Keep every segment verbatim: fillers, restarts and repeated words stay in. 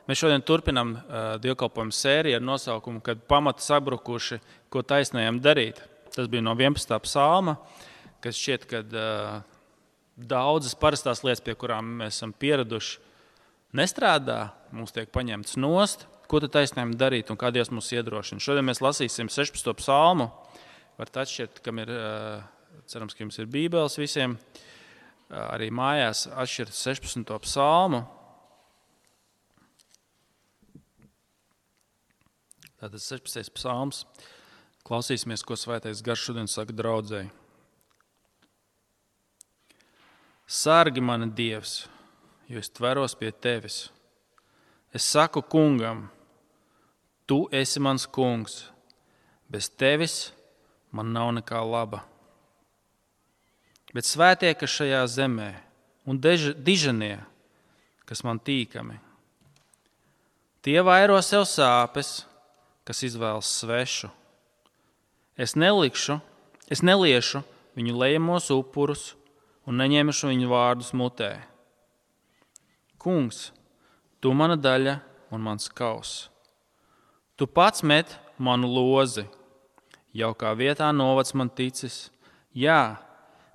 Mēs šodien turpinām uh, dievkalpojumu sēriju ar nosaukumu, kad pamati sabrukuši, ko taisnējam darīt. Tas bija no vienpadsmitā psalma, kas šķiet, kad uh, daudzas parastās lietas, pie kurām mēs esam pieraduši, nestrādā, mums tiek paņemts nost, ko tad taisnējam darīt un kā Dievs mūs iedrošina. Šodien mēs lasīsim sešpadsmito psalmu. Varat atšķirt, kam ir, cerams, ka jums ir bībeles visiem, arī mājās atšķirt sešpadsmito psalmu. Tātad sešpadsmitais psalms. Klausīsimies, ko Svētais Gars šodien saka draudzēji. Sargi mani Dievs, jo es tveros pie tevis. Es saku kungam, tu esi mans kungs, bez tevis man nav nekā laba. Bet svētie, kas šajā zemē, un dež, dižanie, kas man tīkami, tie vairo sev sāpes, kas izvēlas svešu. Es nelikšu, es neliešu viņu lejamos upurus un neņemšu viņu vārdus mutē. Kungs, tu mana daļa un mans kaus. Tu pats met manu lozi, jaukā vietā novads man ticis. Jā,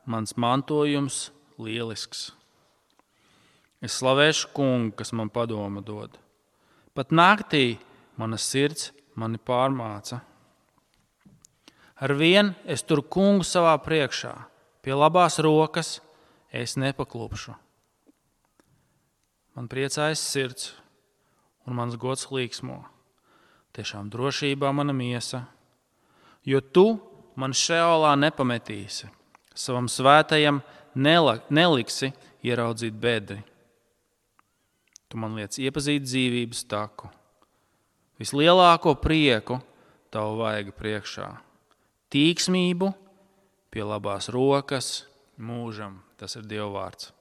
mans mantojums lielisks. Es slavēšu kungu, kas man padoma dod. Pat naktī mana sirds mani pārmāca. Arvien es tur kungu savā priekšā, pie labās rokas es nepaklupšu. Man priecājas sirds un mans gods līksmo. Tiešām drošībā mana miesa, jo tu man šeolā nepametīsi, savam svētajam neliksi ieraudzīt bedri. Tu man liec iepazīt dzīvības taku, vislielāko prieku tavu vaiga priekšā, tīksmību pie labās rokas mūžam. Tas ir Dieva vārds.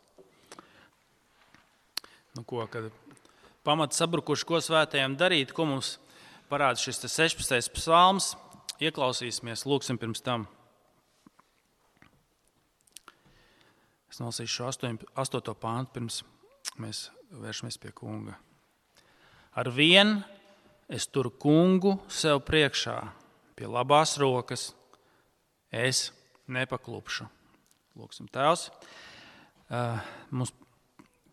Nu, ko, kad pamati sabrukuši, ko svētajam darīt, ko mums parāda šis sešpadsmitais psalms, ieklausīsimies, lūksim pirms tam. Es nolasīšu astoto pāntu, pirms mēs vēršamies pie kunga. Arvien es turu kungu sev priekšā, pie labās rokas, es nepaklupšu. Lūksim, Tēvs, mums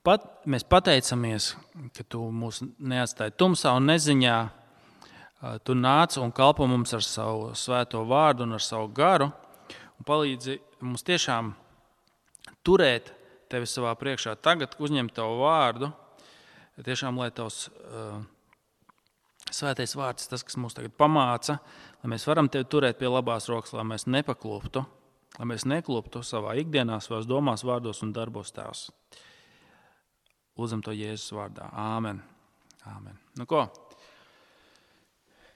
pat, mēs pateicamies, ka tu mūs neatstāji tumsā un neziņā. Tu nāc un kalpo mums ar savu svēto vārdu un ar savu garu un palīdzi mums tiešām turēt tevi savā priekšā. Tagad uzņem tavu vārdu, tiešām, lai tavs uh, svētais vārds, tas, kas mūs tagad pamāca, lai mēs varam tevi turēt pie labās rokas, lai mēs nepakluptu, lai mēs nekluptu savā ikdienā, savās domās, vārdos un darbos, Tēvs. Lūdzam to Jēzus vārdā. Āmen. Āmen. Nu ko?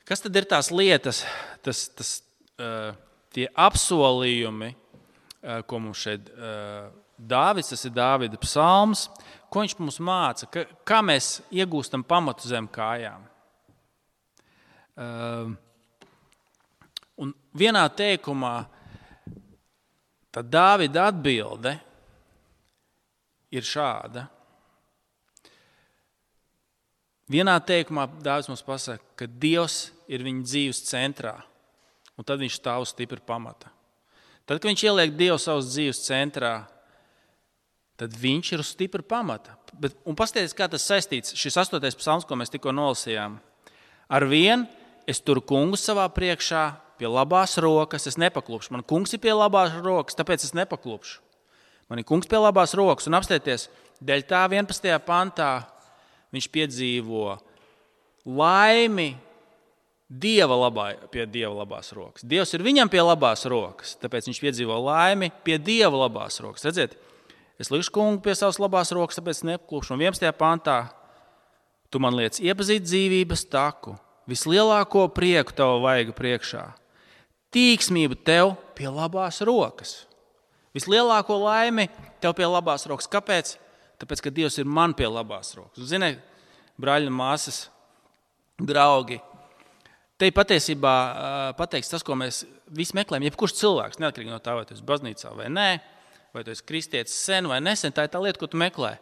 Kas tad ir tās lietas, tas, tas, uh, tie apsolījumi, uh, ko mums šeit uh, Dāvids, tas ir Dāvida psalms, ko viņš mums māca, ka, kā mēs iegūstam pamatu zem kājām. Uh, un vienā teikumā tā Dāvida atbilde ir šāda. Vienā teikumā Dāvids mums pasaka, ka Dievs ir viņa dzīves centrā, un tad viņš stāv uz stipra pamata. Tad, kad viņš ieliek Dievu savas dzīves centrā, tad viņš ir uz stipra pamata. Bet, un paskatieties, kā tas saistīts, šis astotais psalms, ko mēs tikko nolasījām. Arvien es turu kungu savā priekšā, pie labās rokas, es nepaklupšu. Man kungs ir pie labās rokas, tāpēc es nepaklupšu. Man ir kungs pie labās rokas, un apstieties, dēļ tā vienpadsmitajā pantā viņš piedzīvo laimi Dieva labā, pie Dieva labās rokas. Dievs ir viņam pie labās rokas, tāpēc viņš piedzīvo laimi pie Dieva labās rokas. Redziet, es likšu kungu pie savas labās rokas, tāpēc nepaklupšu. Un vienpadsmitajā pantā tu man liec iepazīt dzīvības taku, vislielāko prieku tavu vaiga priekšā, tīksmību tev pie labās rokas. Vislielāko laimi tev pie labās rokas. Kāpēc? Tāpēc, ka Dievs ir man pie labās rokas. Ziniet, brāļi un māsas, draugi, te patiesībā pateiks tas, ko mēs visi meklējam. Jebkurš cilvēks, neatkarīgi no tā, vai tu esi baznīcā vai nē, vai tu esi kristietis sen vai nesen, tā ir tā lieta, ko tu meklē.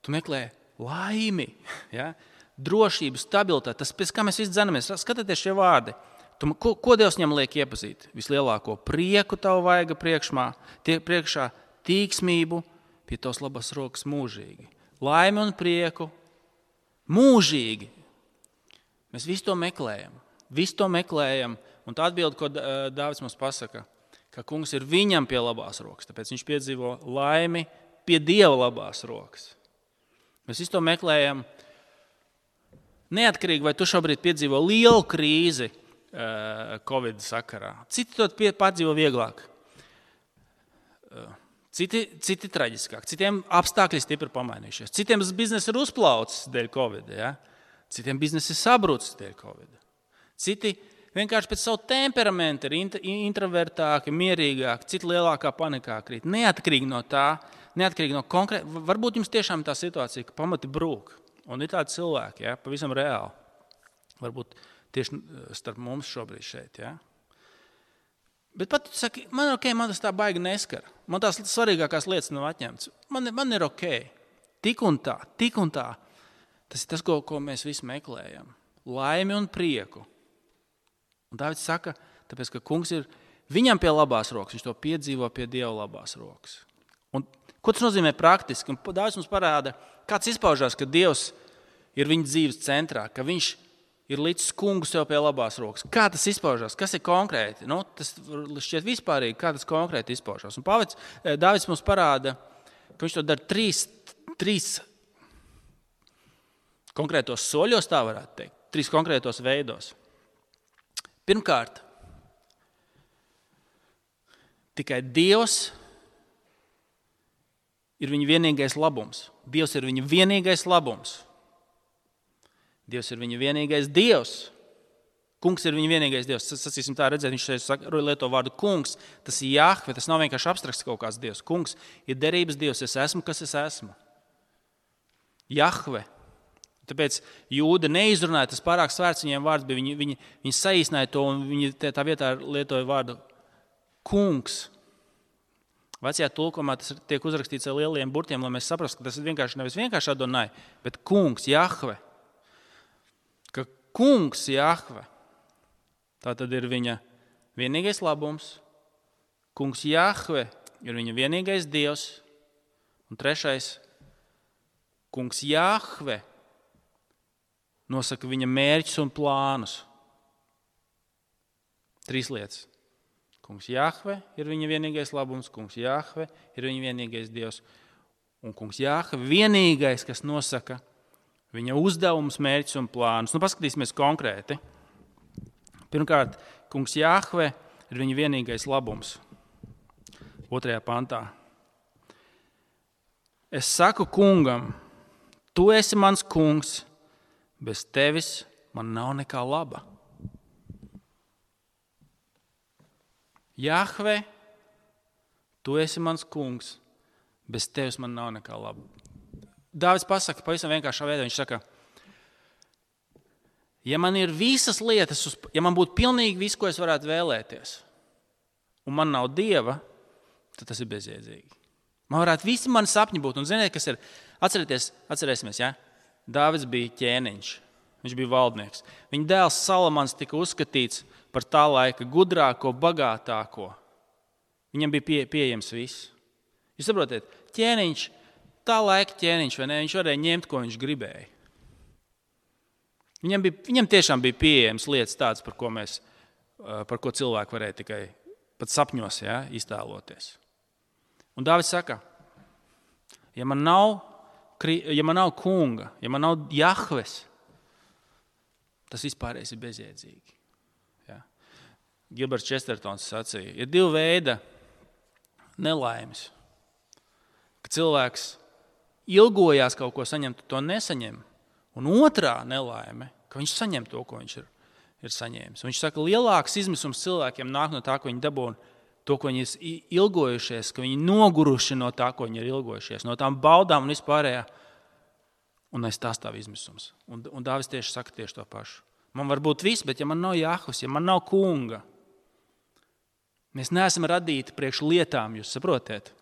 Tu meklē laimi. Ja? drošību, stabilitāti, tas, pēc kā mēs visi dzenamies. Skatieties šie vārdi. Tu, ko, ko Dievs viņam liek iepazīt? Vislielāko prieku tavu vaiga priekšmā, tie, priekšā tīksmību, pie tavas labas rokas mūžīgi. Laimi un prieku mūžīgi. Mēs visu to meklējam. Visu to meklējam. Un tā atbilde, ko Dāvids mums pasaka, ka kungs ir viņam pie labās rokas. Tāpēc viņš piedzīvo laimi pie Dieva labās rokas. Mēs visu to meklējam. Neatkarīgi, vai tu šobrīd piedzīvo lielu krīzi uh, Covid sakarā. Citi to pārdzīvo vieglāk. Uh, citi, citi traģiskāk. Citiem apstākļi stipri pamainījušies. Citiem biznesa ir uzplaucis dēļ Covid. Ja? Citiem biznesa ir sabrucis dēļ Covid. Citi vienkārši pēc savu temperamentu ir introvertāki, mierīgāki, citi lielākā panikā krīt. Neatkarīgi no tā, neatkarīgi no konkrēta. Varbūt jums tiešām tā situācija, ka pamati brūk. Un ir tādi cilvēki, ja, pavisam reāli. Varbūt tieši starp mums šobrīd šeit. Ja. Bet pat tu saki, man ir ok, man tas tā baigi neskar. Man tās svarīgākās lietas nav atņemtas. Man, man ir ok. Tik un tā, tik un tā. Tas ir tas, ko, ko mēs visi meklējam. Laimi un prieku. Un Dāvids saka, tāpēc, ka kungs ir viņam pie labās rokas. Viņš to piedzīvo pie Dieva labās rokas. Un ko tas nozīmē praktiski? Un Dāvids mums parāda, kāds izpaužās, ka Dievs ir viņa dzīves centrā, ka viņš ir līdz kungu sev pie labās rokas. Kā tas izpaužās? Kas ir konkrēti? Nu, tas šķiet vispārīgi, kā tas konkrēti izpaužās. Un Pāvils, Dāvids mums parāda, ka viņš to dara trīs, trīs konkrētos soļos, tā varētu teikt. Trīs konkrētos veidos. Pirmkārt, tikai Dievs ir viņa vienīgais labums. Dievs ir viņa vienīgais labums. Dievs ir viņa vienīgais Dievs. Kungs ir viņa vienīgais Dievs. Sacīsim tā, redzēt, viņš šeit lieto vārdu kungs. Tas ir Jahve, tas nav vienkārši abstrakts kaut kāds Dievs. Kungs ir derības Dievs. Es esmu, kas es esmu. Jahve. Tāpēc jūda neizrunāja, tas pārāk svērts viņiem vārds bija. Viņi, viņi, viņi saīsināja to un viņi tā vietā lietoja vārdu kungs. Vecajā tulkumā tas tiek uzrakstīts ar lieliem burtiem, lai mēs saprastu, ka tas ir vienkārši nevis vienkārši Adonai, bet kungs, Jahve. Ka kungs, Jahve, tā tad ir viņa vienīgais labums. Kungs, Jahve, ir viņa vienīgais Dievs. Un trešais, kungs, Jahve, nosaka viņa mērķus un plānus. Trīs lietas. Kungs Jahve ir viņa vienīgais labums, kungs Jahve ir viņa vienīgais Dievs. Un kungs Jahve vienīgais, kas nosaka viņa uzdevumus, mērķus un plānus. Nu, paskatīsimies konkrēti. Pirmkārt, kungs Jahve ir viņa vienīgais labums. Otrajā pantā. Es saku kungam, tu esi mans kungs, bez tevis man nav nekā laba. Jahve, tu esi mans kungs, bez tevis man nav nekā laba. Dāvids pasaka pavisam vienkāršā veidā, viņš saka, ja man ir visas lietas, ja man būtu pilnīgi viss, ko es varētu vēlēties, un man nav Dieva, tad tas ir bezjēdzīgi. Man varētu visi mani sapņi būt, un ziniet, kas ir, atcerieties, atcerēsimies, ja? Dāvids bija ķēniņš, viņš bija valdnieks. Viņa dēls Salamans tika uzskatīts par tā laika gudrāko, bagātāko. Viņam bija pie, pieejams viss. Jūs saprotiet, ķēniņš, tā laika ķēniņš, vai ne? Viņš varēja ņemt, ko viņš gribēja. Viņam, bija, viņam tiešām bija pieejams lietas tādas, par ko, mēs, par ko cilvēki varēja tikai pat sapņos, ja, iztēloties. Un Dāvids saka, ja man nav, ja man nav kunga, ja man nav Jahves, tas vispārējais ir bezjēdzīgi. Ja. Gilberts Čestertons sacīja, ir divi veidi nelaimes. Ka cilvēks ilgojās kaut ko saņemt, to nesaņem. Un otrā nelaime, ka viņš saņem to, ko viņš ir, ir saņēmis. Un viņš saka, lielāks izmisums cilvēkiem nāk no tā, ko viņi dabūna, to, ko viņi ir ilgojušies, ka viņi noguruši no tā, ko viņi ir ilgojušies, no tām baudām un vispārējā. Un aiz tā stāv izmisums. Un, un Dāvids tieši saka tieši to pašu. Man var būt viss, bet ja man nav Jahves, ja man nav kunga, mēs neesam radīti priekš lietām, jūs saprotiet?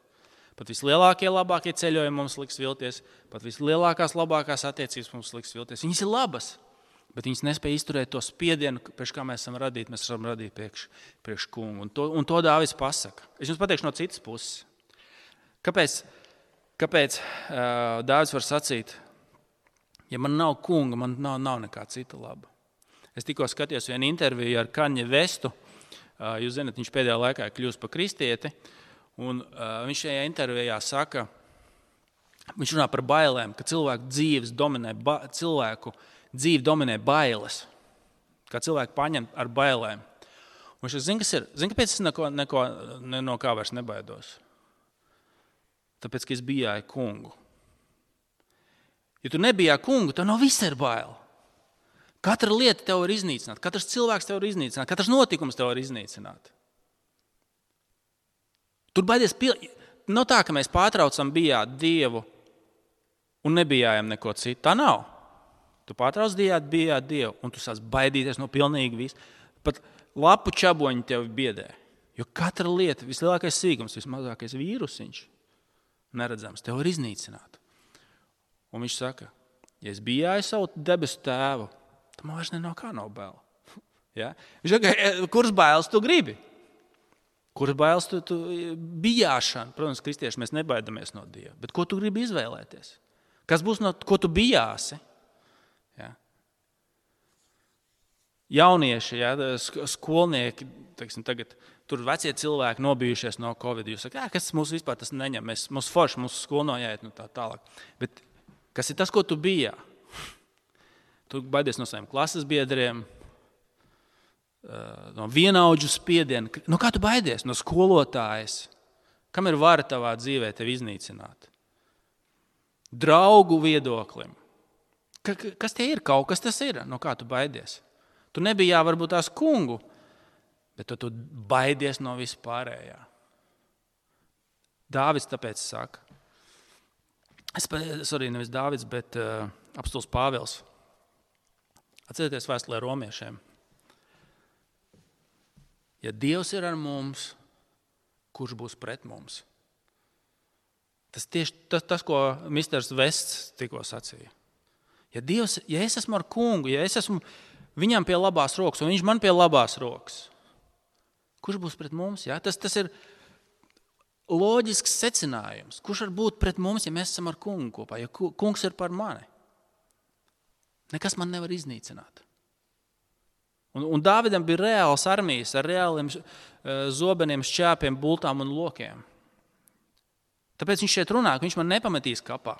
Pat vislielākie, labākie ceļojumi mums liks vilties, pat vislielākās, labākās attiecības mums liks vilties. Viņas ir labas, bet viņas nespēja izturēt to spiedienu, priekš kā mēs esam radīti, mēs esam radīti priekš, priekš kungu. Un to, un to Dāvids pasaka. Es jums pateikšu no citas puses. Kāpēc, kāpēc uh, Dāvids var sacīt, ja man nav kunga, man nav, nav nekā cita laba. Es tikko skatījos vienu interviju ar Kaņe Vestu. Uh, jūs zināt, viņš pēdējā laikā ir kļūst par kristieti. Un uh, viņš šajā intervijā saka, viņš runā par bailēm, ka cilvēku dzīves dominē, ba, cilvēku dzīve dominē bailes, kā cilvēku paņem ar bailēm. Un viņš zina, kas ir, zina, kāpēc es neko, neko, ne, no kā vairs nebaidos? Tāpēc, ka es bijāju kungu. Ja tu nebijāji kungu, tev no viss ir baila. Katra lieta tev var iznīcināt, katrs cilvēks tev var iznīcināt, katrs notikums tev var iznīcināt. Tur baidies, pil... nav tā, ka mēs pārtraucam bijāt Dievu un nebijājam neko citu. Tā nav. Tu pārtrauc bijāt, bijāt Dievu un tu sāc baidīties no pilnīgi visu. Pat lapu čaboņi tevi biedē. Jo katra lieta, vislielākais sīkums, vismazākais vīrusiņš, neredzams, tev var iznīcināt. Un viņš saka, ja es bijāju savu debesu tēvu, tad man vairs ne no kā nav bail. Ja? Viņš saka, kuras bailes tu gribi? Kuras bailes tu, tu bijāšana? Protams, kristieši mēs nebaidamies no Dieva, bet ko tu gribi izvēlēties? Kas būs no, ko tu bijāsi? Ja? Jaunieši, ja, skolnieki, teiksim, tagad tur vecie cilvēki nobijušies no Covid. Jūs sakat, kas mūs vispār tas neņem? Mēs, mūsu forši, mūsu skolu noiet, nu tā tālāk. Bet kas ir tas, ko tu bijā? Tu baidies no saviem klases biedriem, no vienaudžu spiediena. No kā tu baidies? No skolotājas. Kam ir vara tavā dzīvē tevi iznīcināt? Draugu viedoklim. Ka, kas tie ir? Kaut kas tas ir? No kā tu baidies? Tu nebijā varbūt tās kungu, bet tu, tu baidies no vispārējā. Dāvids tāpēc saka. Es, sorry, nevis Dāvids, bet uh, apostuls Pāvils. Atcerieties vēstulē romiešiem. Ja Dievs ir ar mums, kurš būs pret mums? Tas tieši tas, tas ko misters Vests tikko sacīja. Ja, Dievs, ja es esmu ar kungu, ja es esmu viņam pie labās rokas, un viņš man pie labās rokas, kurš būs pret mums? Ja? Tas, tas ir loģisks secinājums. Kurš var būt pret mums, ja mēs esam ar kungu kopā, ja kungs ir par mani? Nekas man nevar iznīcināt. Un, un Dāvidam bija reāls armijas ar reāliem zobeniem, šķēpiem, bultām un lokiem. Tāpēc viņš šeit runā, ka viņš man nepametīs kapā.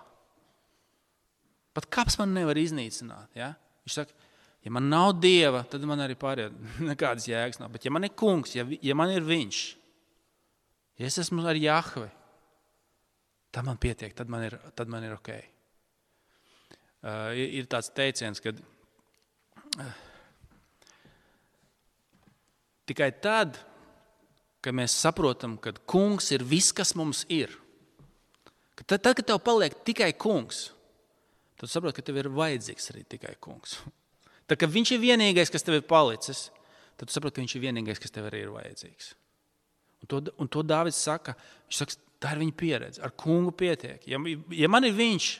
Pat kaps man nevar iznīcināt. Ja? Viņš saka, ja man nav Dieva, tad man arī pārējā nekādas jēgas nav. Bet ja man ir kungs, ja, ja man ir viņš, ja es esmu ar Jahvi, tad man pietiek, tad man ir, tad man ir ok. Uh, ir, ir tāds teiciens, kad uh, tikai tad, kad mēs saprotam, ka kungs ir viss, kas mums ir. Tad, tad kad tev paliek tikai kungs, tad saproti, ka tev ir vajadzīgs arī tikai kungs. Tad, kad viņš ir vienīgais, kas tev ir palicis, tad tu saproti, ka viņš ir vienīgais, kas tev arī ir vajadzīgs. Un to, un to Dāvids saka, viņš saka, tā ir viņa pieredze, ar kungu pietiek. Ja, ja man ir viņš,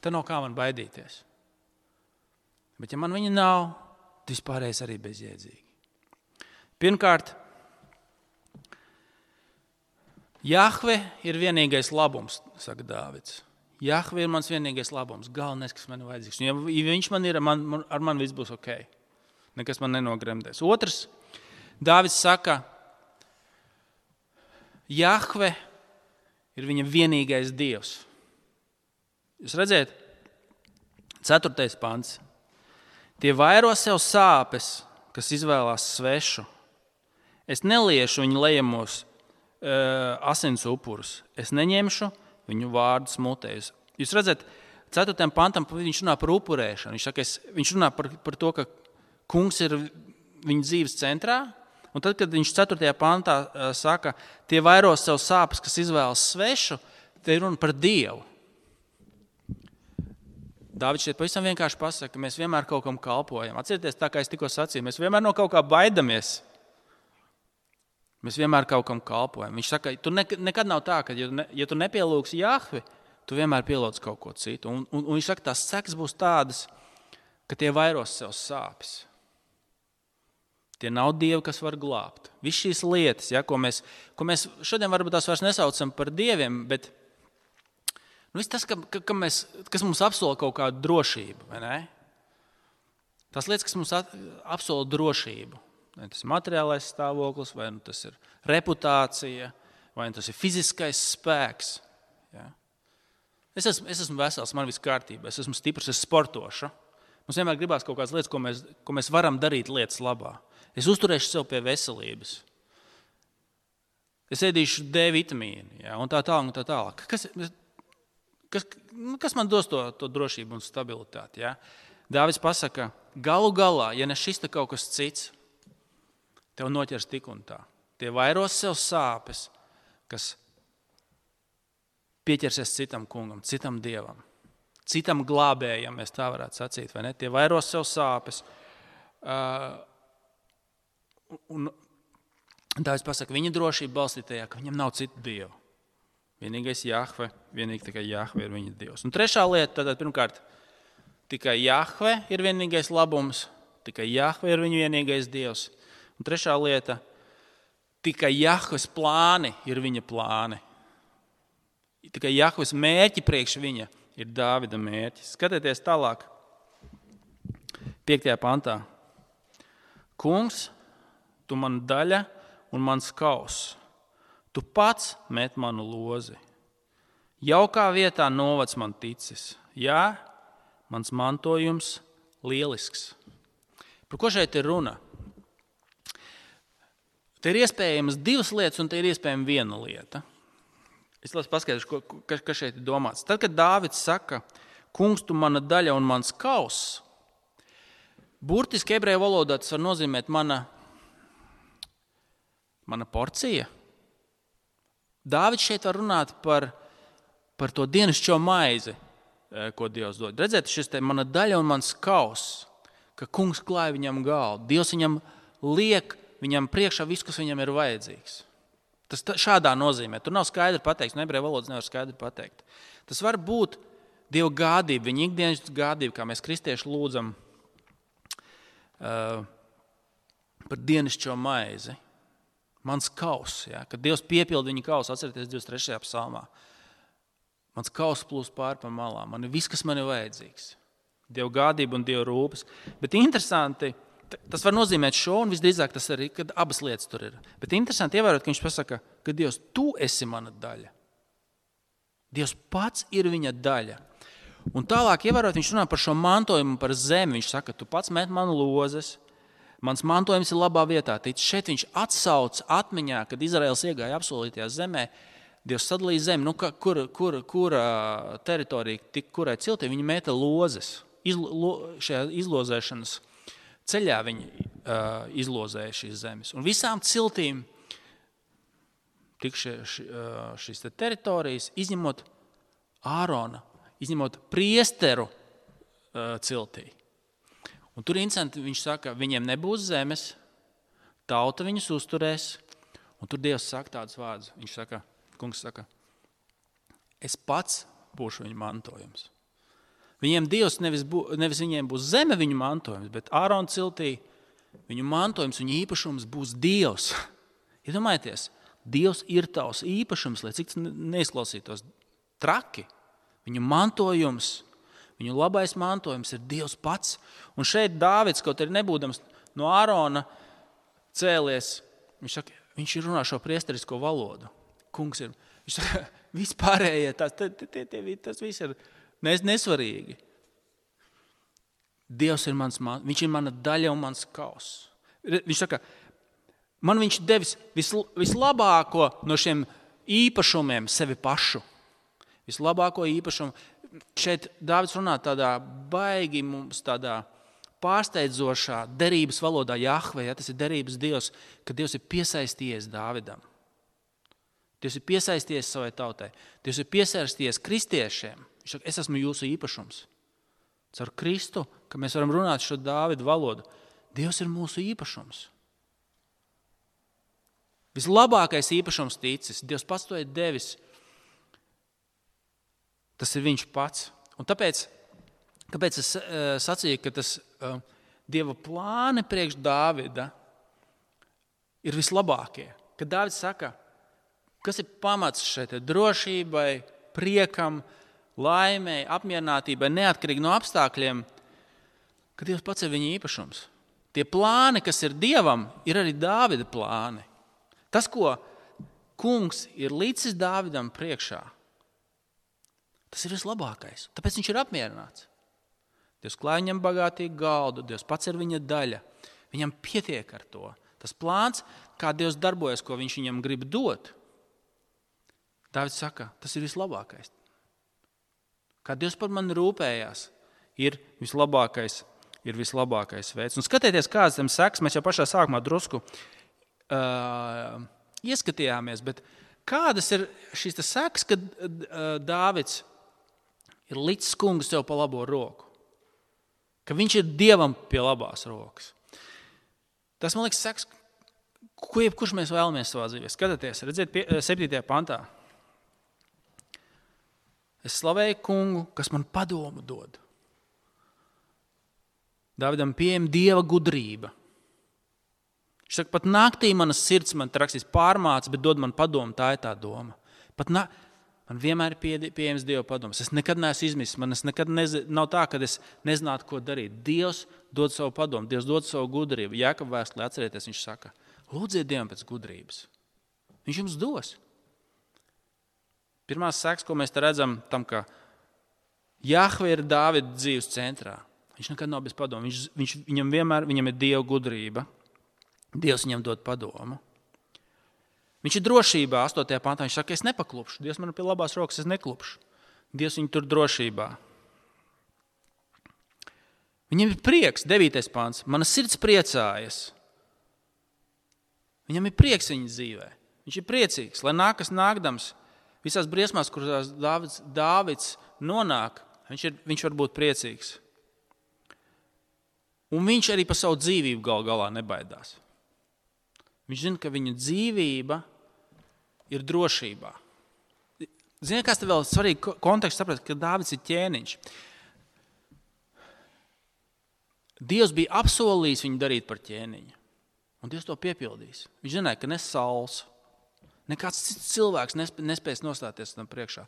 tad nav kā man baidīties. Bet ja man viņa nav, tad vispārējais arī bezjēdzīgi. Pirmkārt, Jahve ir vienīgais labums, saka Dāvids. Jahve ir mans vienīgais labums, galvenais, kas man ir vajadzīgs. Ja viņš man ir, man, ar man viss būs ok. Nekas man nenogremdēs. Otrs, Dāvids saka, Jahve ir viņa vienīgais Dievs. Jūs redzēt? Ceturtais pants. Tie vairo sev sāpes, kas izvēlās svešu. Es neliešu viņu lejamos uh, asins upurus. Es neņemšu viņu vārdus mutēs. Jūs redzat, ceturtajam pantam viņš runā par upurēšanu. Viņš, saka, es, viņš runā par, par to, ka kungs ir viņa dzīves centrā. Un tad, kad viņš ceturtajā pantā uh, saka, tie vairo sev sāpes, kas izvēlas svešu, te ir runa par Dievu. Dāvids šeit pavisam vienkārši pasaka, ka mēs vienmēr kaut kam kalpojam. Atcerieties, tā kā es tikko sacīju, mēs vienmēr no kaut kā baidamies. Mēs vienmēr kaut kam kalpojam. Viņš saka, tu ne, nekad nav tā, ka, ja, ne, ja tu nepielūgsi Jahvi, tu vienmēr pielūdz kaut ko citu. Un, un, un viņš saka, tās sekas būs tādas, ka tie vairos sev sāpes. Tie nav dievi, kas var glābt. Viss šīs lietas, ja, ko, mēs, ko mēs šodien varbūt tās vairs nesaucam par dieviem, bet nu, viss tas, ka, ka, ka mēs, kas mums apsola kaut kādu drošību, vai ne? Tās lietas, kas mums apsola drošību. Vai tas ir materiālais stāvoklis, vai nu tas ir reputācija, vai nu tas ir fiziskais spēks. Ja? Es, esmu, es esmu vesels, man viss kārtībā, es esmu stiprs, es sportošu. Mums vienmēr gribās kaut kādas lietas, ko mēs, ko mēs varam darīt lietas labā. Es uzturēšu sev pie veselības. Es ēdīšu D vitamīnu, ja? Un tā tālāk, un tā tālāk. Kas, kas, kas man dos to, to drošību un stabilitāti? Ja? Dāvids pasaka, galu galā, ja ne šis te kaut kas cits, tev noķers tik un tā. Tie vairos sev sāpes, kas pieķersies citam kungam, citam dievam, citam glābējam, mēs tā varētu sacīt, vai ne? Tie vairos sev sāpes. Uh, un tā es pasaku, viņa drošība balstītajā, ka viņam nav citu dievu. Vienīgais Jahve, vienīgi tikai Jahve ir viņa dievs. Un trešā lieta, tātad pirmkārt, tikai Jahve ir vienīgais labums, tikai Jahve ir viņa vienīgais dievs. Un trešā lieta, tikai Jahves plāni ir viņa plāni. Tikai Jahves mērķi priekš viņa ir Dāvida mērķis. Skatieties tālāk, piektajā pantā. Kungs, tu man daļa un mans kaus. Tu pats met manu lozi. Jaukā vietā novads man ticis. Jā, mans mantojums lielisks. Par ko šeit ir runa? Te ir iespējams divas lietas, un te ir iespējama viena lieta. Es lasu paskaidrošu, kas ka šeit ir domāts. Tad, kad Dāvids saka, kungs, tu mana daļa un mans kaus, burtiski ebreju valodā tas var nozīmēt mana, mana porcija. Dāvids šeit var runāt par, par to dienascho maizi, ko Dievs dod. Redzēt, šis te mana daļa un mans kaus, ka kungs klāja viņam galdu. Dievs viņam liek viņam priekšā viss, kas viņam ir vajadzīgs. Tas šādā nozīmē. Tur nav skaidri pateikts, no ebreju valodas nevar skaidri pateikt. Tas var būt Dieva gādība, viņa ikdienas gādība, kā mēs kristieši lūdzam uh, par dienascho maizi. Mans kaus, ja, kad Dievs piepilda viņa kausu, atcerieties divdesmit trešajā psalmā. Mans kaus plūst pār pa malām. Man ir viss, kas man ir vajadzīgs. Dieva gādība un Dieva rūpes. Bet interesanti, tas var nozīmēt šo, un visdrīzāk tas arī, kad abas lietas tur ir. Bet interesanti ievērot, ka viņš pasaka, ka Dievs, tu esi mana daļa. Dievs pats ir viņa daļa. Un tālāk ievērot, viņš runā par šo mantojumu, par zemi. Viņš saka, tu pats met manu lozes, mans mantojums ir labā vietā. Tic, šeit viņš atsauc atmiņā, kad Izraels iegāja apsolītajā zemē, Dievs sadalīja zemi, nu, kur, kur, kur teritorija, tik, kurai ciltī viņi meta lozes. Izlo, šajā izlozēšanas ceļā viņi uh, izlozēja šīs zemes. Un visām ciltīm tik šie, ši, uh, šīs te teritorijas, izņemot Ārona, izņemot priesteru uh, ciltī. Un tur interesanti, viņš saka, viņiem nebūs zemes, tauta viņus uzturēs, un tur Dievs saka tādus vārdus. Viņš saka, kungs saka, es pats būšu viņu mantojums. Viņiem Dievs nevis, bū, nevis viņiem būs zeme viņu mantojums, bet Ārona ciltī viņu mantojums, viņu īpašums būs Dievs. Iedomājieties, Dievs ir tavs īpašums, lai cik neizklausītos traki. Viņu mantojums, viņu labais mantojums ir Dievs pats. Un šeit Dāvids, kaut arī nebūdams no Ārona cēlies, viņš saka, viņš ir runā šo priesterisko valodu. Kungs ir, viņš saka, vispārējie, tas, tas viss ir Nes, nesvarīgi. Dievs ir mans, viņš ir mana daļa un mans kaus. Viņš saka, man viņš devis visl, vislabāko no šiem īpašumiem sevi pašu. Vislabāko īpašumu. Šeit Dāvids runā tādā baigi mums tādā pārsteidzošā derības valodā Jahve, ja, tas ir derības Dievs, ka Dievs ir piesaistījies Dāvidam. Dievs ir piesaistījies savai tautai. Dievs ir piesaistījies kristiešiem. Viņš saka, es esmu jūsu īpašums. Caur Kristu, ka mēs varam runāt šo Dāvidu valodu. Dievs ir mūsu īpašums. Vislabākais īpašums ticis. Dievs pats to ir devis. Tas ir viņš pats. Un tāpēc, kāpēc es uh, sacīju, ka tas uh, Dieva plāni priekš Dāvida ir vislabākie. Kad Dāvids saka, kas ir pamats šeit drošībai, priekam, laimei, apmierinātībai, neatkarīgi no apstākļiem, ka Dievs pats ir viņa īpašums. Tie plāni, kas ir Dievam, ir arī Dāvida plāni. Tas, ko kungs ir licis Dāvidam priekšā, tas ir vislabākais. Tāpēc viņš ir apmierināts. Dievs klāj viņam bagātīgu galdu, Dievs pats ir viņa daļa. Viņam pietiek ar to. Tas plāns, kā Dievs darbojas, ko viņš viņam grib dot, Dāvids saka, tas ir vislabākais. Kā Dievs par mani rūpējās, ir vislabākais, ir vislabākais veids. Un skatieties, kāds tam seks, mēs jau pašā sākumā drusku uh, ieskatījāmies, bet kādas ir šīs seks, kad uh, Dāvids ir licis kungu sev pa labo roku? Ka viņš ir Dievam pie labās rokas. Tas, man liekas, seks, ko jebkurš mēs vēlamies savā dzīvē. Skatieties, redziet, septītajā pantā. Es slavēju kungu, kas man padomu dod. Dāvidam pieejama Dieva gudrība. Viņš saka, pat naktī manas sirds man rakstīs pārmāca, bet dod man padomu, tā ir tā doma. Pat na... Man vienmēr ir pieejams Dieva padoms. Es nekad neesmu izmisis. Man es nekad nez... nav tā, ka es nezinātu, ko darīt. Dievs dod savu padomu. Dievs dod savu gudrību. Jākapa vēstulē atcerieties, viņš saka, lūdziet Dievam pēc gudrības. Viņš jums dos. Pirmās seks, ko mēs te redzam, tam, ka Jahve ir Dāvida dzīves centrā. Viņš nekad nav bez padomu. Viņš, viņš, viņam vienmēr viņam ir Dieva gudrība. Dievs viņam dod padomu. Viņš ir drošībā, astotajā pantā. Viņš saka, es nepaklupšu. Dievs man pie labās rokas, es neklupšu. Dievs viņu tur drošībā. Viņam ir prieks, devītais pants. Mana sirds priecājas. Viņam ir prieks viņa dzīvē. Viņš ir priecīgs, lai nākas nākdams. Visās briesmās, kurās Dāvids, Dāvids nonāk, viņš, ir, viņš var būt priecīgs. Un viņš arī par savu dzīvību gal galā nebaidās. Viņš zina, ka viņa dzīvība ir drošībā. Ziniet, kas te vēl svarīgi konteksts saprast, ka Dāvids ir ķēniņš. Dievs bija apsolījis viņu darīt par ķēniņu. Un Dievs to piepildīs. Viņš zināja, ka ne Sauls, nekāds cits cilvēks nespēs nostāties tam priekšā.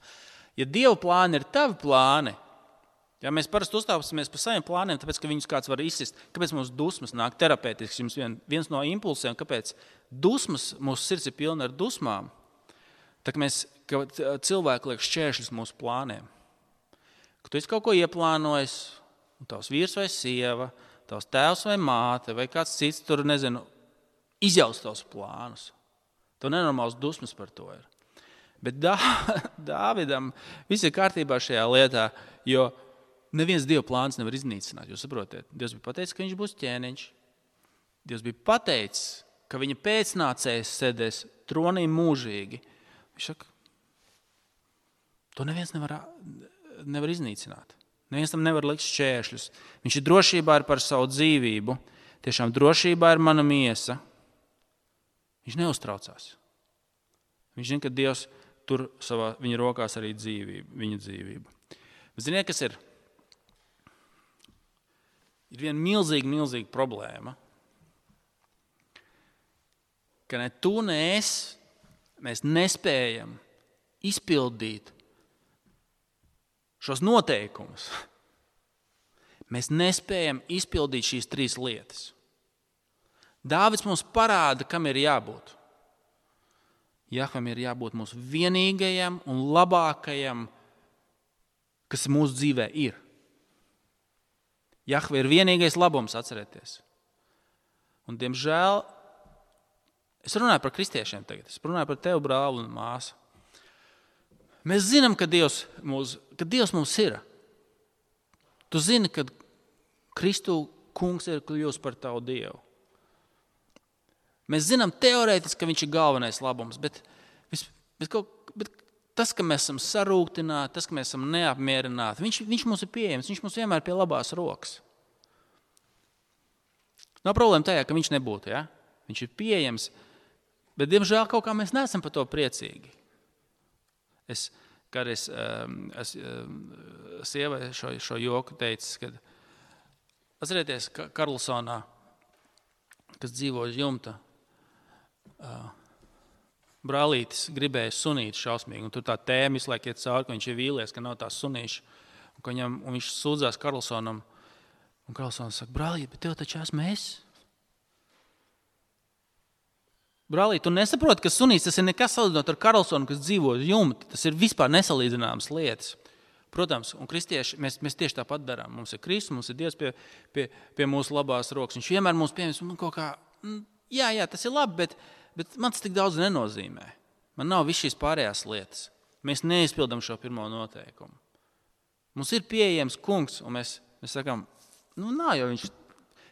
Ja Dieva plāni ir tavi plāni, ja mēs parasti uzstāsimies par saviem plāniem, tāpēc, ka viņus kāds var izsist, kāpēc mums dusmas nāk terapeitisks, jums vien, viens no impulsiem, kāpēc dusmas, mūsu sirds ir pilna ar dusmām, tā ka mēs, ka cilvēki liek šķēršļus mūsu plāniem. Ka tu esi kaut ko ieplānojis, un tavs vīrs vai sieva, tavs tēvs vai māte, vai kāds cits tur, nezinu, izjaust tavs plānus. Tev nenormāls dusmas par to ir. Bet Dā, Dāvidam viss ir kārtībā šajā lietā, jo neviens Dieva plāns nevar iznīcināt, jūs saprotiet. Dievs bija pateicis, ka viņš būs ķēniņš. Dievs bija pateicis, ka viņa pēcnācējs sēdēs tronī mūžīgi. Viņš saka, to neviens nevar, nevar iznīcināt. Neviens tam nevar likt šķēršļus. Viņš ir drošībā ar par savu dzīvību. Tiešām drošībā ir mana miesa. Viņš neuztraucās. Viņš zina, ka Dievs tur savā viņa rokās arī dzīvību, viņa dzīvību. Ziniet, kas ir? Ir viena milzīga, milzīga problēma, ka ne tu, ne es, mēs nespējam izpildīt šos noteikumus. Mēs nespējam izpildīt šīs trīs lietas. Dāvids mums parāda, kam ir jābūt. Jahvam ir jābūt mūsu vienīgajam un labākajam, kas mūsu dzīvē ir. Jahve ir vienīgais labums, atcerieties. Un, diemžēl, es runāju par kristiešiem tagad, es runāju par tevi, brāli un māsu. Mēs zinām, ka Dievs, mūs, ka Dievs mums ir. Tu zini, ka Kristu kungs ir kļūst par tavu Dievu. Mēs zinām teorētiski, ka viņš ir galvenais labums, bet, bet, kaut, bet tas, ka mēs esam sarūktināti, tas, ka mēs esam neapmierināti, viņš, viņš mums ir pieejams, viņš mums vienmēr pie labās rokas. Nav problēma tajā, ka viņš nebūtu, ja? Viņš ir pieejams, Bet, diemžēl, kaut kā mēs neesam par to priecīgi. Es, kad es, um, es um, sievai šo, šo joku teicu, kad atcerieties, ka Karlsonā, kas dzīvo uz jumta, uh, brālītis gribēja sunīt šausmīgi, un tur tā tēma visu laiku iet cauri, ka viņš ir vīlies, ka nav tās sunīši, un, ka viņam, un viņš sūdzās Karlsonam, un Karlsons saka, brālīt, bet tev taču esmu es. Brālīt, tu nesaproti, ka sunīts tas ir nekas salīdzinot ar Karlsonu, kas dzīvo uz jumta. Tas ir vispār nesalīdzināmas lietas. Protams, un kristieši, mēs, mēs tieši tāpat darām. Mums ir Kristus, mums ir Dievs pie, pie, pie mūsu labās rokas. Viņš vienmēr mums pieņems, un kaut kā, jā, jā, tas ir labi, bet, bet man tas tik daudz nenozīmē. Man nav viss šīs pārējās lietas. Mēs neizpildam šo pirmo noteikumu. Mums ir pieejams kungs, un mēs, mēs sakām, nu, nav jau viņš,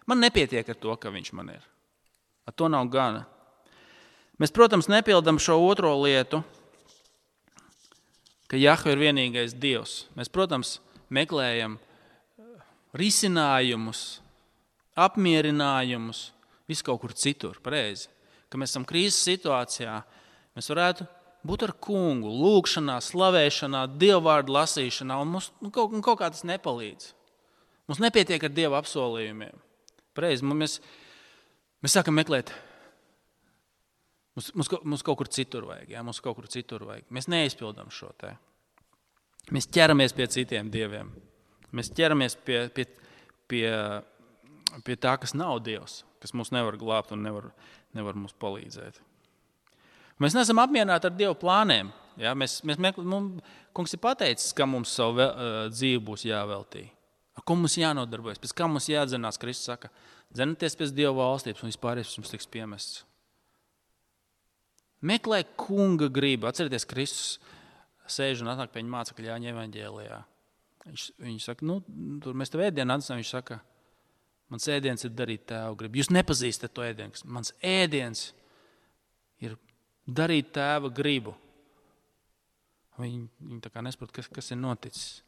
man nepietiek ar to, ka viņš man ir. Ar to nav gana. Mēs, protams, nepildam šo otro lietu, ka Jahve ir vienīgais Dievs. Mēs, protams, meklējam risinājumus, apmierinājumus, visu kaut kur citur, pareizi. Ka mēs esam krīzes situācijā, mēs varētu būt ar kungu, lūgšanā, slavēšanā, dievvvārdu lasīšanā, un mums un kaut, un kaut kā tas nepalīdz. Mums nepietiek ar Dieva apsolījumiem. Pareizi, mēs, mēs sākam meklēt. Mums, mums, mums kaut kur citur vajag, jā, mums kaut kur citur vajag. Mēs neizpildam šo te. Mēs ķeramies pie citiem dieviem. Mēs ķeramies pie, pie, pie, pie tā, kas nav Dievs, kas mūs nevar glābt un nevar, nevar mums palīdzēt. Mēs neesam apmierināti ar Dieva plāniem. Jā, mēs, mēs mekl, mums, kungs ir pateicis, ka mums savu vēl, uh, dzīvi būs jāveltī. Ar ko mums jānodarbojas, pēc kā mums jādzenās, Kristus saka, dzenaties pēc Dieva valstības un vispārējais jums tiks piemests. Meklē kunga gribu. Atcerieties, Kristus sēž un atnāk pie viņa mācekļa Jāņa evaņģēlijā. Viņš, viņš saka, nu, tur mēs tev ēdienu atnesam, viņš saka, mans ēdiens ir darīt tēvu gribu. Jūs nepazīstat to ēdienu. Mans ēdiens ir darīt tēva gribu. Viņi, viņi tā kā nesaprot, kas, kas ir noticis.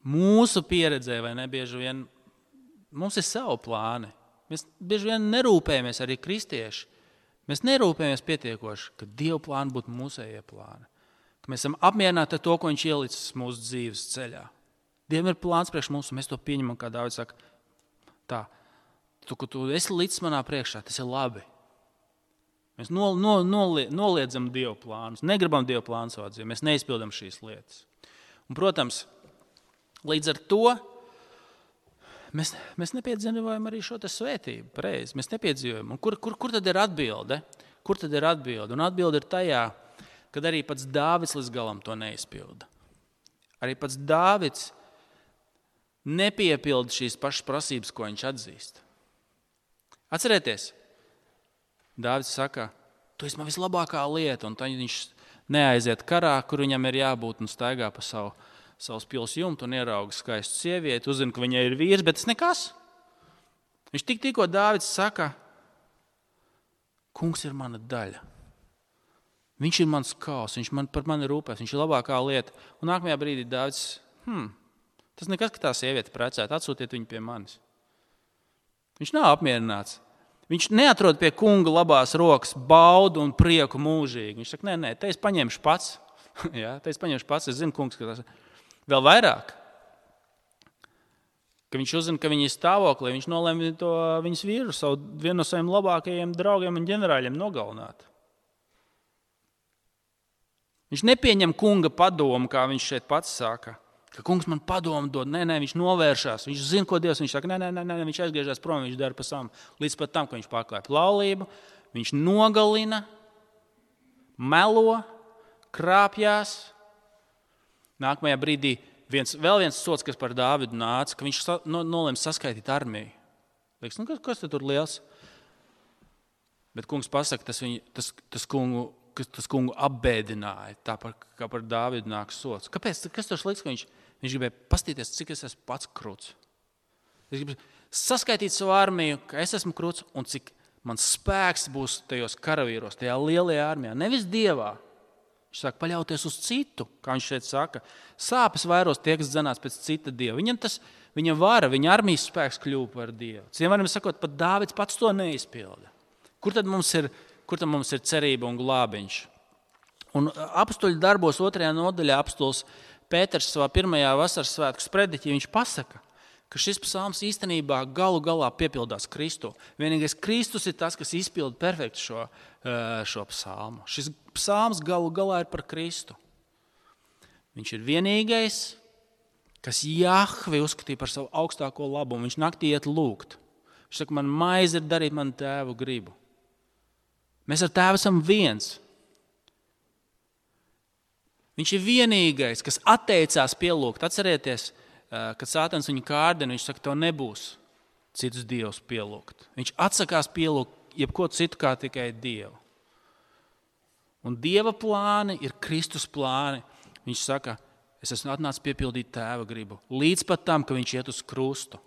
Mūsu pieredzē, vai ne, bieži vien, mums ir savu plāni. Mēs bieži vien nerūpējamies arī kristieši. Mēs nerūpējamies pietiekoši, ka Dieva plāni būtu mūsējie plāni. Ka mēs esam apmierināti ar to, ko viņš ielicis mūsu dzīves ceļā. Dievam ir plāns priekš mums, un mēs to pieņemam, kā Dāvids saka, tā, tu, ka tu esi līdz manā priekšā, tas ir labi. Mēs no, no, nolie, noliedzam Dieva plānus, negribam Dieva plānu savā dzīvē, mēs neizpildam šīs lietas. Un, protams, līdz ar to Mēs, mēs nepiedzīvojam arī šo te svētību, pareizi. Mēs nepiedzīvojam. Un kur, kur, kur tad ir atbilde? Kur tad ir atbilde? Un atbilde ir tajā, kad arī pats Dāvids līdz galam to neizpilda. Arī pats Dāvids nepiepilda šīs pašas prasības, ko viņš atzīst. Atcerieties, Dāvids saka, tu esi man vislabākā lieta, un tad viņš neaiziet karā, kur viņam ir jābūt un staigā pa savu savus pils jumtu un ierauga skaistu sievieti, uzzina, ka viņai ir vīrs, bet tas nekas. Viņš tik tikko Dāvids saka, kungs ir mana daļa. Viņš ir mans kaus, viņš man, par mani rūpēs, viņš ir labākā lieta. Un nākamajā brīdī Dāvids, hmm, tas nekas, ka tā sieviete precēta, atsūtiet viņu pie manis. Viņš nav apmierināts. Viņš neatrod pie kunga labās rokas baudu un prieku mūžīgi. Viņš saka, nē, nē, te es paņemšu pats. Jā, te es paņemšu pats, es zinu, kungs, ka tas ir. Vēl vairāk, ka viņš uzzina, ka viņa ir stāvoklī, viņš nolēma to viņas vīru, savu, vienu no saviem labākajiem draugiem un ģenerāļiem nogalināt. Viņš nepieņem kunga padomu, kā viņš šeit pats saka, ka kungs man padomu dod, nē, nē, viņš novēršās, viņš zina, ko Dievs, viņš saka, nē, nē, nē, nē, viņš aizgriežās prom, viņš dara pa savu, līdz pat tam, ka viņš pārklāja laulību, viņš nogalina, melo, krāpjās. Nākamajā brīdī viens, vēl viens sots, kas par Dāvidu nāca, ka viņš sa, no, nolēma saskaitīt armiju. Liekas, nu, kas, kas tur liels? Bet kungs pasaka, tas, viņu, tas, tas, kungu, tas kungu apbēdināja, tā par, kā par Dāvidu nāk sots. Kāpēc? Kas tur sliks, ka viņš, viņš gribēja pastīties, cik es esmu pats kruts? Es gribu saskaitīt savu armiju, ka es esmu kruts un cik mans spēks būs tajos karavīros, tajā lielajā armijā. Nevis Dievā, Viņš sāk paļauties uz citu, kā viņš šeit saka. Sāpes vairos tie, kas dzenās pēc cita dieva. Viņam tas, viņa vara, viņa armijas spēks kļuva par dievu. Citiem vārdiem sakot, pat Dāvids pats to neizpilda. Kur tad mums ir, kur tad mums ir cerība un glābiņš? Un apstuļu darbos otrajā nodaļā apstuls Pēters savā pirmajā vasaras svētku sprediķī viņš pasaka, ka šis psalms īstenībā galu galā piepildās Kristu. Vienīgais Kristus ir tas, kas izpilda perfekti šo, šo psalmu. Šis psalms galu galā ir par Kristu. Viņš ir vienīgais, kas Jahvi uzskatīja par savu augstāko labumu. Viņš naktī iet lūgt. Viņš saka, man maize ir darīt manu tēvu gribu. Mēs ar tēvu esam viens. Viņš ir vienīgais, kas atteicās pielūgt. Atcerieties, kad Sātans viņu kārdina, viņš saka, tev nebūs citus dievus pielūgt. Viņš atsakās pielūgt jebko citu kā tikai Dievu. Un Dieva plāni ir Kristus plāni. Viņš saka, es esmu atnācis piepildīt tēva gribu. Līdz pat tam, ka viņš iet uz krustu.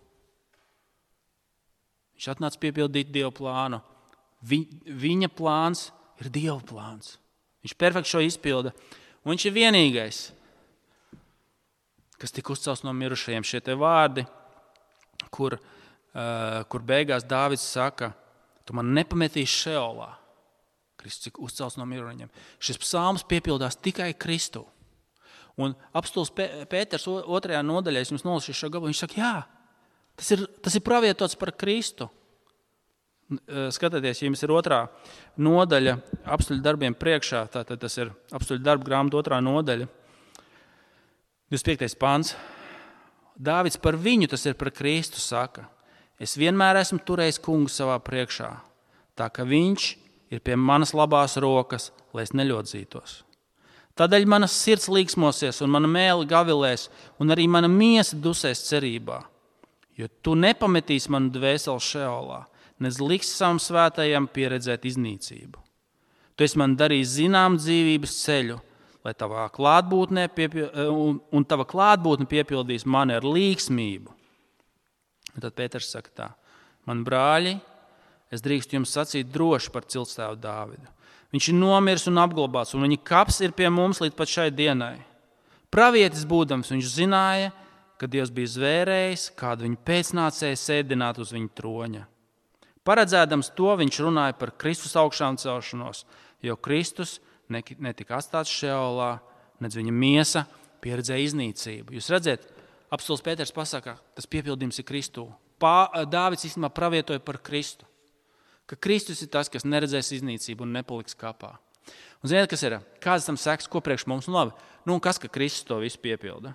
Viņš atnācis piepildīt Dieva plānu. Vi, viņa plāns ir Dieva plāns. Viņš perfekti šo izpilda. Un viņš ir vienīgais, kas tika uzcelts no mirušajiem. Šie te vārdi, kur, uh, kur beigās Dāvids saka, tu man nepametīsi Šeolā. Kristus tika uzcelts no mirušajiem. Šis psalms piepildās tikai Kristu. Un apstulis Pēters otrajā nodaļā, es jums nolasīšu šo gabalu, viņš saka, jā, tas ir, tas ir pravietots par Kristu. Skatieties, ja jums ir otrā nodaļa apstuļu darbiem priekšā, tātad tas ir apstuļu darbu grāmatu otrā nodaļa, divdesmit piektais pants. Dāvids par viņu, tas ir par Kristu, saka, es vienmēr esmu turējis kungu savā priekšā, tā ka viņš ir pie manas labās rokas, lai es neļodzītos. Tādēļ manas sirds līksmosies un mana mēle gavilēs, un arī mana miesa dusēs cerībā, jo tu nepametīsi manu dvēseli Šeolā, nez liks savam svētajam pieredzēt iznīcību. Tu esi man darījis zinām dzīvības ceļu, lai tavā klātbūtnē piepil... un, un tava klātbūtne piepildīs mani ar līksmību. Un tad Pēters saka tā, man brāļi, es drīkstu jums sacīt droši par ciltstāvu Dāvidu. Viņš ir nomiris un apglabāts, un viņa kaps ir pie mums līdz pat šai dienai. Pravietis būdams, viņš zināja, ka Dievs bija zvērējis, kādu viņa pēcnācēju sēdināt uz viņa troņa. Paredzēdams to, viņš runāja par Kristus augšām celšanos, jo Kristus netika atstāts Šeolā, nedz viņa miesa pieredzēja iznīcību. Jūs redzat, apstulis Pēters pasaka, tas piepildījums ir Kristū. Pā, Dāvids īstenībā pravietoja par Kristu, ka Kristus ir tas, kas neredzēs iznīcību un nepaliks kapā. Un ziniet, kas ir? Kāds tam seks, ko priekš mums? Nu labi, nu un kas, ka Kristus to visu piepilda?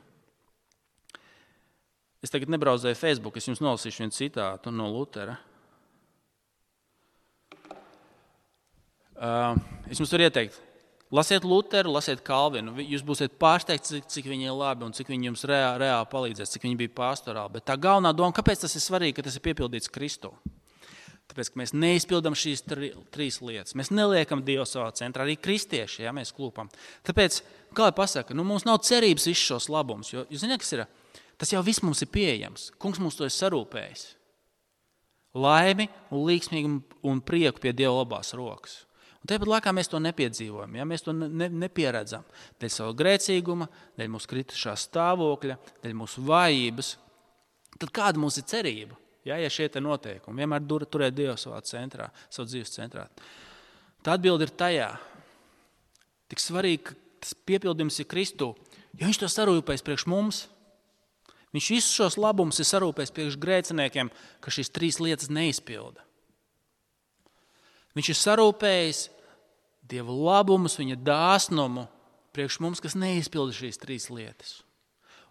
Es tagad nebraudzēju Facebook, es jums nolasīšu vienu citātu no Lutera. Uh, es jums varu ieteikt, lasiet Luteru, lasiet Kalvinu. Jūs būsiet pārsteigti, cik, cik viņi ir labi un cik viņi jums reāli, reāli palīdzēs, cik viņi bija pastorāli. Bet tā galvenā doma, kāpēc tas ir svarīgi, ka tas ir piepildīts Kristu? Tāpēc, ka mēs neizpildam šīs tri, trīs lietas. Mēs neliekam Dievu savā centrā, arī kristieši, ja mēs klūpam. Tāpēc, kā lai pasaka, nu, mums nav cerības visus šos labumus, jo, jūs zināt, kas ir? Tas jau viss mums ir pieejams. Kungs mums to ir sarūpējis. Laimi un līksmīgu un prieku pie Dieva labās rokas. Un tāpat laikā mēs to nepiedzīvojam, ja? Mēs to ne, nepieredzam. Dēļ savu grēcīguma, dēļ mūsu kritušā stāvokļa, dēļ mūsu vājības. Tad kāda mums ir cerība, ja, ja šie te noteikumi? Vienmēr dur, turēt Dievu savā centrā, savu dzīves centrā. Tā atbilde ir tajā. Tik svarīgi, ka tas piepildījums ir Kristū, jo viņš to sarūpēs priekš mums. Viņš visus šos labumus ir sarūpējis priekš grēciniekiem, ka šīs trīs lietas neizpilda. Viņš ir sarūpējis Dieva labumus, viņa dāsnumu priekš mums, kas neizpilda šīs trīs lietas.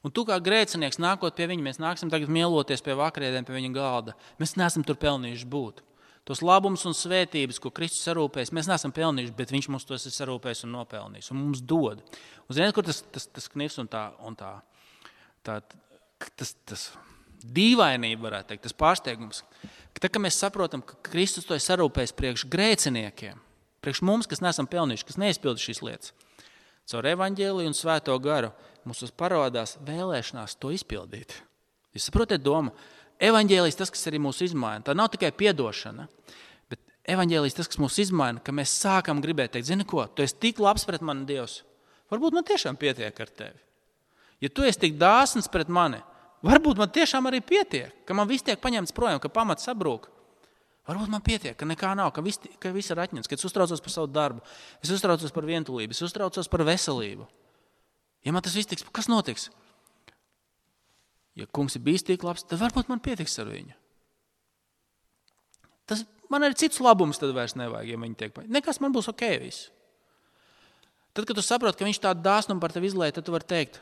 Un tu kā grēcinieks nākot pie viņa, mēs nāksim tagad mieloties pie vakarēdiem pie viņa galda. Mēs neesam tur pelnījuši būt. Tos labumus un svētības, ko Kristus sarūpējis, mēs neesam pelnījuši, bet viņš mums tos ir sarūpējis un nopelnījis. Un mums dod. Un ziniet, kur tas, tas, tas knifs un tā, un tā, tā tas, tas dīvainība, varētu teikt, tas pārsteigums. Tad, kad mēs saprotam, ka Kristus to ir sarūpējis priekš grēciniekiem, priekš mums, kas neesam pelnījuši, kas neizpilda šīs lietas, caur evaņģēliju un svēto garu mums parādās vēlēšanās to izpildīt. Jūs saprotat domu? Evaņģēlijs tas, kas arī mūs izmaina. Tā nav tikai piedošana, bet evaņģēlijs tas, kas mūs izmaina, ka mēs sākam gribēt teikt, zini ko, tu esi tik labs pret mani Dievs, Varbūt man tiešām pietiek ar tevi. Ja tu esi tik dāsns pret mani, varbūt man tiešām arī pietiek, ka man viss tiek paņemts projām, ka pamats sabrūk. Varbūt man pietiek, ka nekā nav, ka viss, ka viss ir atņemts, ka es uztraucos par savu darbu, es uztraucos par vientulību, es uztraucos par veselību. Ja man tas viss tiks, kas notiks? Ja kungs ir bijis tik labs, tad varbūt man pietiks ar viņu. Tas, man arī cits labums tad vairs nevajag, ja viņi tiek paņemti. Nekas man būs ok viss. Tad, kad tu saproti, ka viņš tādu dāsnumu par tevi izlēja, tad tu vari teikt,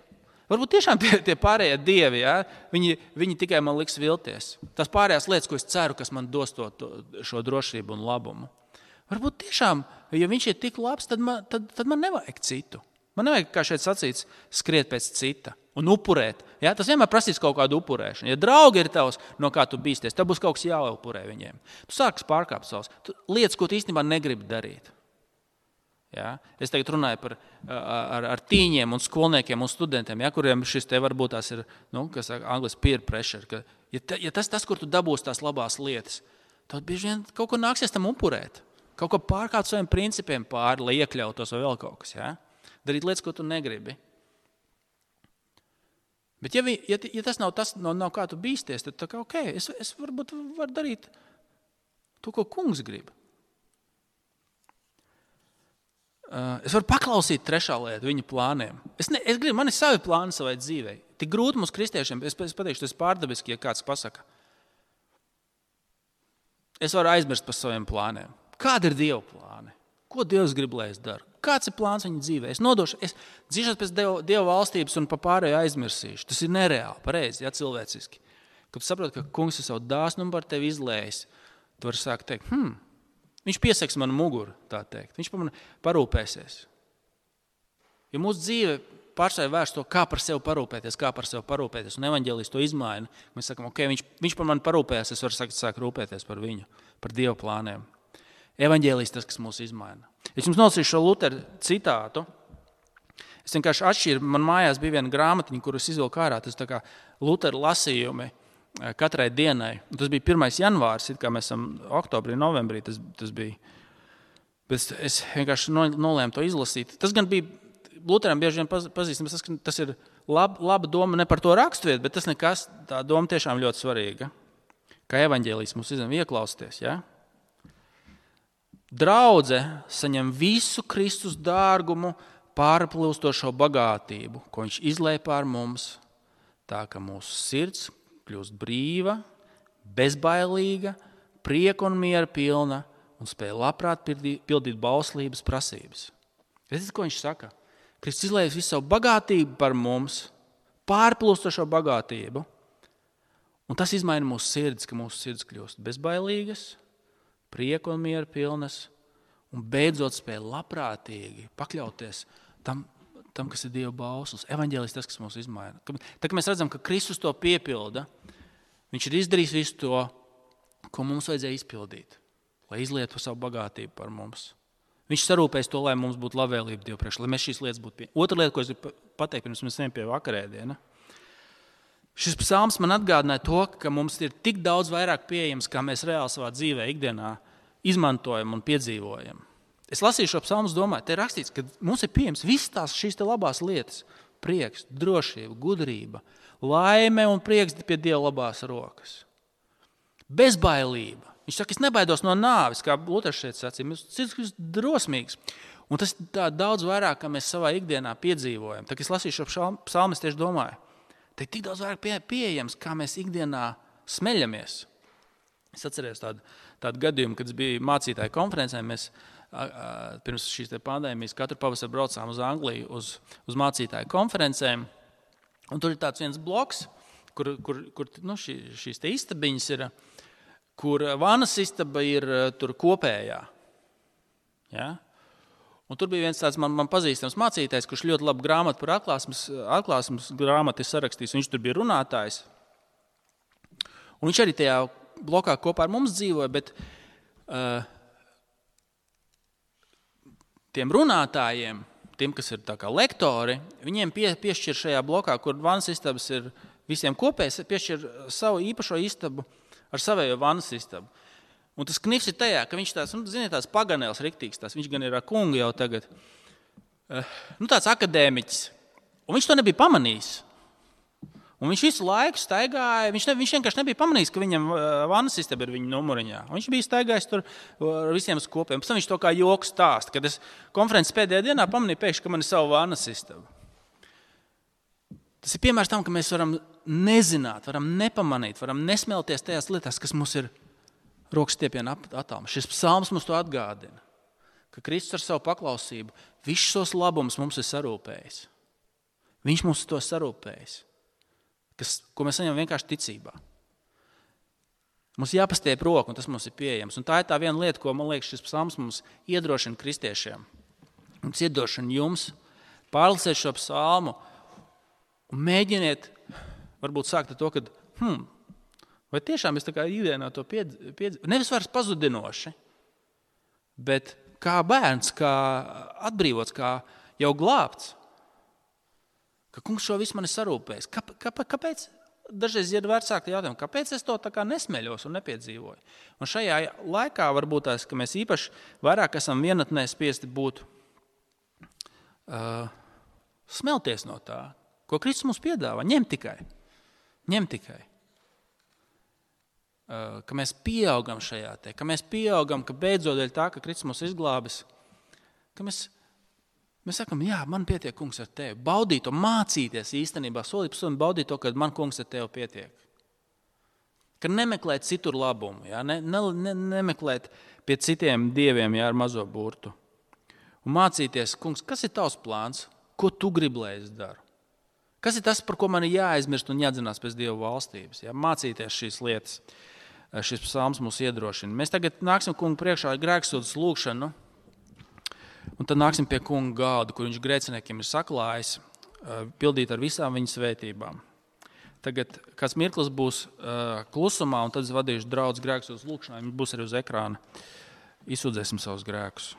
varbūt tiešām tie, tie pārējie dievi, ja, viņi, viņi tikai man liks vilties. Tās pārējās lietas, ko es ceru, kas man dos to, to, šo drošību un labumu. Varbūt tiešām, ja viņš ir tik labs, tad man, tad, tad man nevajag citu. Man nevajag, kā šeit sacīts, skriet pēc cita un upurēt. Ja? Tas vienmēr prasīs kaut kādu upurēšanu. Ja draugi ir tavs, no kā tu bīsties, tev būs kaut kas jāupurē viņiem. Tu sāks pārkāpt savus lietas, ko tu īstenībā negribi darīt. Ja? Es tagad runāju par ar, ar tīņiem un skolniekiem un studentiem, ja? Kuriem šis te varbūt tās ir, nu, kas saka, angliski peer pressure. Ka, ja, te, ja tas, tas, kur tu dabūsi tās labās lietas, tad bieži vien kaut ko nāksies tam upurēt. Kaut ko pārkāpt saviem principiem pāri, lai iekļautos vai vēl kaut kas. Ja? Darīt lietas, ko tu negribi. Bet ja, vi, ja, ja tas nav tas, no, nav kā tu bīsties, tad tā kā, ok, es, es varbūt varu darīt to, ko kungs grib. Uh, es varu paklausīt trešā lieta viņa plāniem. Es, ne, es gribu, man ir savi plāni savai dzīvei. Tik grūti mums kristiešiem, es, es pateikšu, tas pārdabiski, ja kāds pasaka. Es varu aizmirst par saviem plāniem. Kādi ir Dieva plāni? Ko Dievs grib, lai es daru? Kāds ir plāns viņa dzīvē? Es nodošu, es dzīvošu pēc Dieva, Dieva valstības un pa pārējo aizmirsīšu. Tas ir nereāli, pareizi, ja, cilvēciski. Kad tu saproti, ka kungs ir savu dāsnumu par tevi izlējis, tu vari sākt teikt, hmm, viņš pieseks manu muguru, tā teikt. Viņš par mani parūpēsies. Ja mūsu dzīve pārstāja vērst to, kā par sevi parūpēties, kā par sevi parūpēties, un evaņģēlijs to izmaina, mēs sakam, ok, viņš, viņš par mani parūpējas, es varu sākt, sākt rūpēties par viņu, par Dieva plāniem. Evaņģēlijs tas, kas mūs izmaina. Es jums nolasīšu šo Luteru citātu. Es vienkārši atšķiru, man mājās bija viena grāmatiņa, kuru es izvilku ārā, tas tā kā Luteru lasījumi katrai dienai. Un tas bija pirmais janvārs, it kā mēs esam oktobrī, novembrī, tas, tas bija. Bet es vienkārši nolēmu to izlasīt. Tas gan bija, Luteram bieži vien pazīstams, tas, tas ir lab, laba doma ne par to raksturvietu, bet tas nekas, tā doma tiešām ļoti svarīga. Kā evaņģēlijs mums izņem ieklausties, ja? Draudze saņem visu Kristus dārgumu pārplūstošo bagātību, ko viņš izlēja pār mums, tā ka mūsu sirds kļūst brīva, bezbailīga, prieka un miera pilna un spēja labprāt pildīt bauslības prasības. Redziet, ko viņš saka? Kristus izlēja visu savu bagātību par mums, pārplūstošo bagātību, un tas izmaina mūsu sirds, ka mūsu sirds kļūst bezbailīgas, prieku un mieru pilnas, un beidzot spēja labprātīgi pakļauties tam, tam kas ir Dieva bauslis. Evaņģēlijs tas, kas mūs izmaina. Tā kā mēs redzam, ka Kristus to piepilda, viņš ir izdarījis visu to, ko mums vajadzēja izpildīt, lai izlietu savu bagātību par mums. Viņš sarūpēs to, lai mums būtu labvēlība Dievu priekšā, lai mēs šīs lietas būtu pie. Otra lieta, ko es gribu pateikt, pirms mēs ejam pie vakarēdiena. Šis psalms man atgādināja to, ka mums ir tik daudz vairāk pieejams, kā mēs reāli savā dzīvē ikdienā izmantojam un piedzīvojam. Es lasīju šo psalmu, domāju, te ir rakstīts, ka mums ir pieejams visas tās šīs te labās lietas. Prieks, drošība, gudrība, laime un prieks pie Dieva labās rokas. Bezbailība. Viņš saka, es nebaidos no nāves, kā Luters šeit sacīja. Mums ir drosmīgs. Un tas tā daudz vairāk, kā mēs savā ikdienā piedzīvojam. Tā, kad es lasīju šo psalmu, es tieši domāju, te ir tik daudz vairāk pie, pieejams, kā mēs ikdienā smeļamies. Es atceros tādu, tādu gadījumu, kad es biju mācītāju konferencē. Mēs a, a, pirms šīs te pandēmijas katru pavasaru braucām uz Angliju uz, uz mācītāju konferencēm. Un tur ir tāds viens bloks, kur, kur, kur nu, šī, šīs te istabiņas ir, kur vanas istaba ir tur kopējā. Ja? Un tur bija viens tāds man, man pazīstams mācītājs, kurš ļoti labu grāmatu par atklāsmes, atklāsmes grāmatu ir sarakstījis. Viņš tur bija runātājs. Un viņš arī tajā blokā kopā ar mums dzīvoja, bet uh, tiem runātājiem, tiem, kas ir tā kā lektori, viņiem pie, piešķir šajā blokā, kur vanas istabas ir visiem kopējs, piešķir savu īpašo istabu ar savējo vanas istabu. Un tas knifs ir tajā, ka viņš tās, nu, ziniet, tās paganēls riktīgs, tās, viņš gan ir ar kungu jau tagad. nu, tāds akadēmiķis, un viņš to nebija pamanījis. Un viņš visu laiku staigāja, viņš, ne, viņš vienkārši nebija pamanījis, ka viņam vannas istaba ir viņa numuriņā. Viņš bija staigājis tur ar visiem uz kopiem. Pēc tam viņš to kā joku stāsta, kad es konferences pēdējā dienā pamanīju pēkšņi, ka man ir savu vannas istaba. Tas ir piemērs tam, ka mēs varam nezināt, varam nepamanīt, varam nesmelties tajās lietās, kas mums ir rokas stiepiena attālumā. Šis psalms mums to atgādina, ka Kristus ar savu paklausību visus šos labumus mums ir sarūpējis. Viņš mums to sarūpējis. Kas, ko mēs saņemam vienkārši ticībā. Mums jāpastiep roku, un tas mums ir pieejams. Un tā ir tā viena lieta, ko, man liekas, šis psalms mums iedrošina kristiešiem. Mums iedrošina jums pārlasēt šo psalmu un mēģiniet, varbūt sākt ar to, ka, hmm, vai tiešām es tā kā ikdienā to piedzīvoju, piedz... nevis vairs pazudinoši, bet kā bērns, kā atbrīvots, kā jau glābts. Ka kungs šo visu man ir sarūpējis. Kāp, kāp, kāpēc? Dažreiz ir vecāki jautājumi, kāpēc es to tā kā nesmeļos un nepiedzīvoju? Un šajā laikā varbūt tās, ka mēs īpaši vairāk esam vienatnē spiesti būt uh, smelties no tā, ko Kristus mums piedāvā. Ņem tikai. Ņem tikai. Uh, ka mēs pieaugam šajā te, ka mēs pieaugam, ka beidzot dēļ tā, ka Kristus mums izglābis, ka mēs Mēs sakam, jā, man pietiek, kungs, ar tevi. Baudīt to, mācīties īstenībā, solīt pa solim baudīt to, ka man, kungs, ar tevi pietiek. Ka nemeklēt citur labumu, jā, ne, ne, ne, nemeklēt pie citiem dieviem, jā, ar mazo burtu. Un mācīties, kungs, kas ir tavs plāns, ko tu gribi, lai es daru? Kas ir tas, par ko man ir jāaizmirst un jādzinās pēc Dievu valstības? Jā, mācīties šīs lietas, šis psalms mūs iedrošina. Mēs tagad nāksim kungu priekšā ar grēksūdzes lūgšanu. Un tad nāksim pie kunga galda, kur viņš grēciniekiem ir saklājis, pildīt ar visām viņa svētībām. Tagad kāds mirklis būs klusumā, un tad es vadīšu draudz grēksūdzes lūgšanā. Viņš būs arī uz ekrāna. Izsūdzēsim savus grēkus.